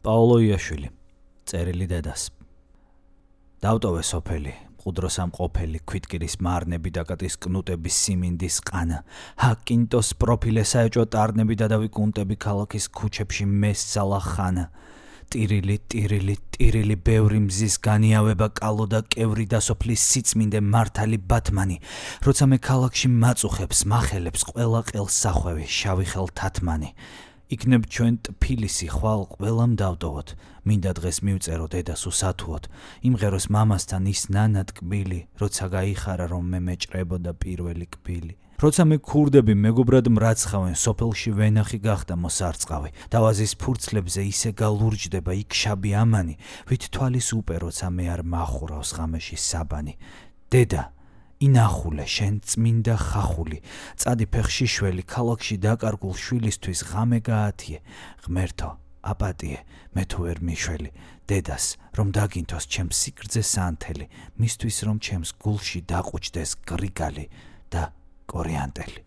პაოლო იაშვილი, წერილი დედას. დავტოვე სოფელი, მყუდროს ამყოფელი, ქვითკირის მარნები დაკატის კნუტების სიმინდის ყანა, ჰაკინტოს პროფილე საეჭვო ტარნები და დავიკუნტები ქალაქის ქუჩებში მესცალა ხანა. ტირილი, ბევრი მზის განიავება კალო და კევრი და სოფლის სიწმინდე მართალი ბათმანი, როცა მე ქალაქში მაწუხებს, მახელებს, ყველა ყელს სახვევი, შავი ხელ თათმანი. იქნებ ჩვენ ტფილისი ხვალ ყველამ დავტოვოთ, მინდა დღეს მივწერო დედას უსათუოდ, იმღეროს მამასთან ის ნანა ტკბილი, როცა გაიხარა რომ მე მეჭრებოდა პირველი კბილი. როცა მე ქურდები მეგობრად მრაცხავენ, სოფელში ვენახი გახდა მოსარწყავი, დავაზის ფურცლებზე ისე გალურჯდება იქ შაბი ამანი, ვით თვალის უპე როცა მე არ მახურავს ღამეში საბანი. დედა, ინახულე შენ წმინდა ხახული, წადი ფეხშიშველი, ქალაქში დაკარგულ შვილისთვის ღამე გაათიე, ღმერთო, აპატიე, მე თუ ვერ მიშველი, დედას, რომ დაგინთოს ჩემს სიგრძე სანთელი, მისთვის რომ ჩემს გულში დაყუჩდეს გრიგალი და კორიანტელი.